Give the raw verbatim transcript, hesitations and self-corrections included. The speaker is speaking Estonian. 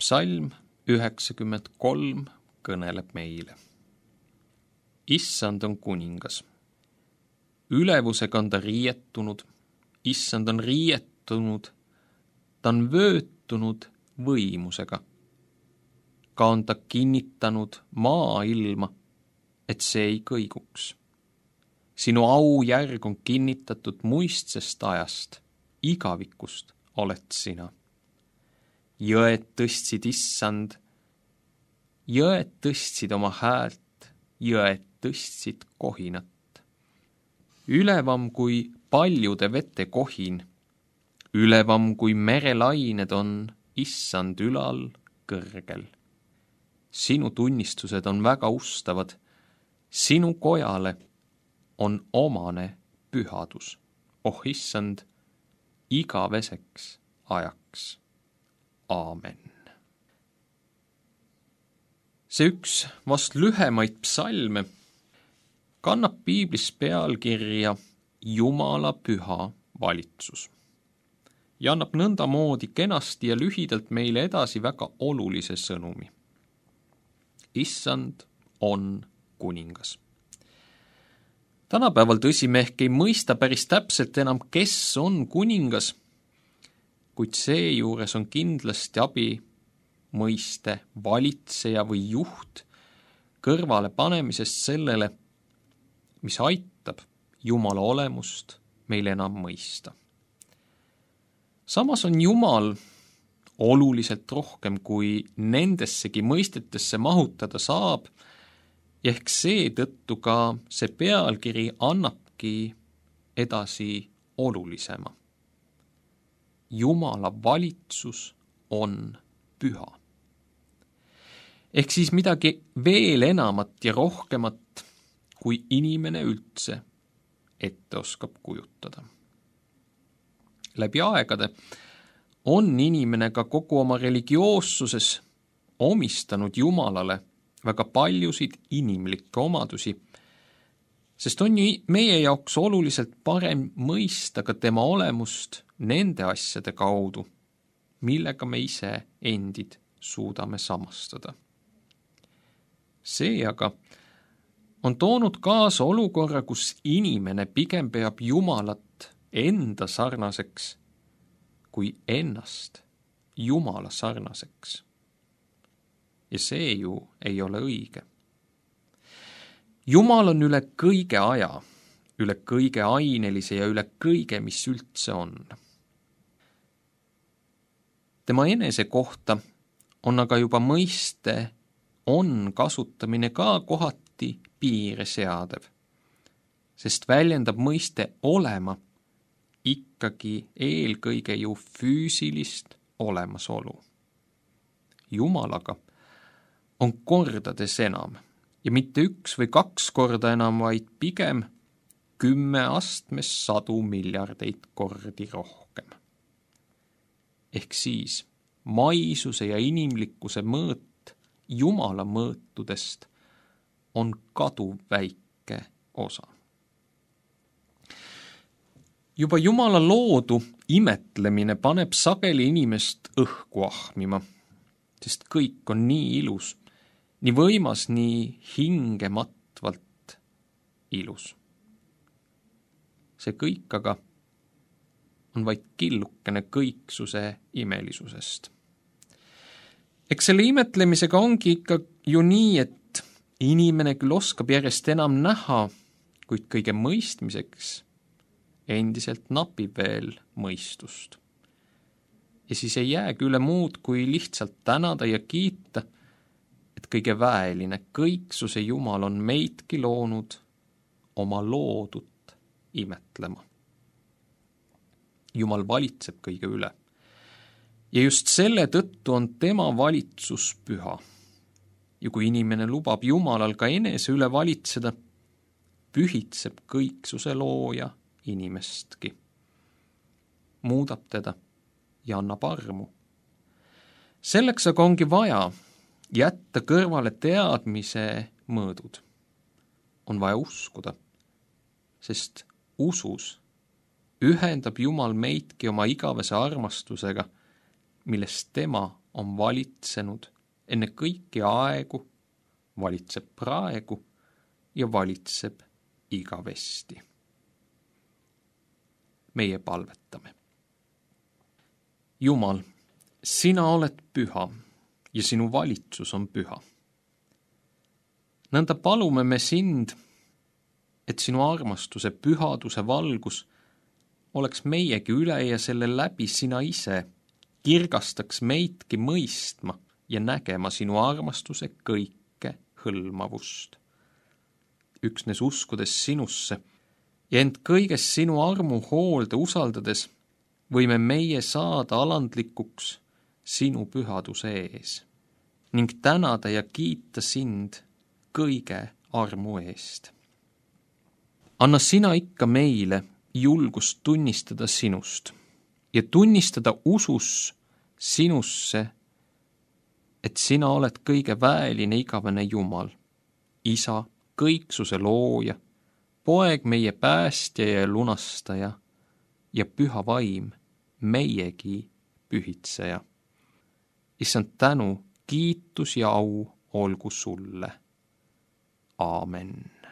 psalm üheksakümmend kolm kõneleb meile. Issand on kuningas. Ülevusega on ta riietunud, issand on riietunud, ta on vöötunud võimusega. Ka on ta kinnitanud maailma, et see ei kõiguks. Sinu aujärg on kinnitatud muistsest ajast, igavikust oled sina. Jõed tõstsid issand, jõed tõstsid oma häält, jõed tõstsid kohinat. Ülevam kui paljude vete kohin, ülevam kui merelained on issand ülal kõrgel. Sinu tunnistused on väga ustavad, sinu kojale on omane pühadus. Oh issand, igaveseks ajaks. Aamen. See üks vast lühemaid psalme kannab piiblis pealkirja Jumala püha valitsus ja annab nõndamoodi kenasti ja lühidalt meile edasi väga olulise sõnumi. Issand on kuningas. Tänapäeval tõsi me ehk ei mõista päris täpselt enam, kes on kuningas, kuid seejuures on kindlasti abi mõiste valitseja või juht kõrvale panemisest sellele, mis aitab Jumala olemust meil enam mõista. Samas on Jumal oluliselt rohkem, kui nendessegi mõistetesse mahutada saab, ja ehk seetõttu ka see pealkiri annabki edasi olulisema. Jumala valitsus on püha. Ehk siis midagi veel enamat ja rohkemat, kui inimene üldse ette oskab kujutada. Läbi aegade on inimene ka kogu oma religioossuses omistanud Jumalale väga paljusid inimlikke omadusi, sest on ju meie jaoks oluliselt parem mõista ka tema olemust nende asjade kaudu, millega me ise endid suudame samastada. See aga on toonud kaasa olukorra, kus inimene pigem peab Jumalat enda sarnaseks kui ennast Jumala sarnaseks. Ja see ju ei ole õige. Jumal on üle kõige aja, üle kõige ainelise ja üle kõige, mis üldse on. Tema enese kohta on aga juba mõiste on kasutamine ka kohati piire seadev, sest väljendab mõiste olema ikkagi eelkõige ju füüsilist olemasolu. Jumalaga on kordades enam ja mitte üks või kaks korda enam, vaid pigem kümme astmes sadu miljardeid kordi rohkem. Ehk siis maisuse ja inimlikkuse mõõt Jumala mõõtudest on kaduv väike osa. Juba Jumala loodu imetlemine paneb sageli inimest õhku ahmima, sest kõik on nii ilus, nii võimas, nii hingematvalt ilus. See kõik aga on vaid killukene kõiksuse imelisusest. Eks selle imetlemisega ongi ikka ju nii, et inimene küll oskab järjest enam näha, kuid kõige mõistmiseks endiselt napib veel mõistust. Ja siis ei jäägi üle muud, kui lihtsalt tänada ja kiita, et kõige väeline kõiksuse Jumal on meidki loonud oma loodut imetlema. Jumal valitseb kõige üle. Ja just selle tõttu on tema valitsus püha. Ja kui inimene lubab Jumalal ka enese üle valitseda, pühitseb kõiksuse looja inimestki. Muudab teda ja annab armu. Selleks aga ongi vaja jätta kõrvale teadmise mõõdud. On vaja uskuda, sest usus ühendab Jumal meidki oma igavese armastusega, millest tema on valitsenud enne kõiki aegu, valitseb praegu ja valitseb igavesti. Meie palvetame. Jumal, sina oled püha ja sinu valitsus on püha. Nõnda palume me sind, et sinu armastuse pühaduse valgus oleks meiegi üle ja selle läbi sina ise kirgastaks meidki mõistma ja nägema sinu armastuse kõike hõlmavust. Üksnes uskudes sinusse ja ent kõiges sinu armu hoolde usaldades võime meie saada alandlikuks sinu pühaduse ees ning tänada ja kiita sind kõige armu eest. Anna sina ikka meile julgust tunnistada sinust ja tunnistada usus sinusse, et sina oled kõige väeline igavene Jumal, Isa, kõiksuse looja, poeg meie päästja ja lunastaja ja püha vaim, meiegi pühitseja. Issand tänu, kiitus ja au olgu sulle. Aamen.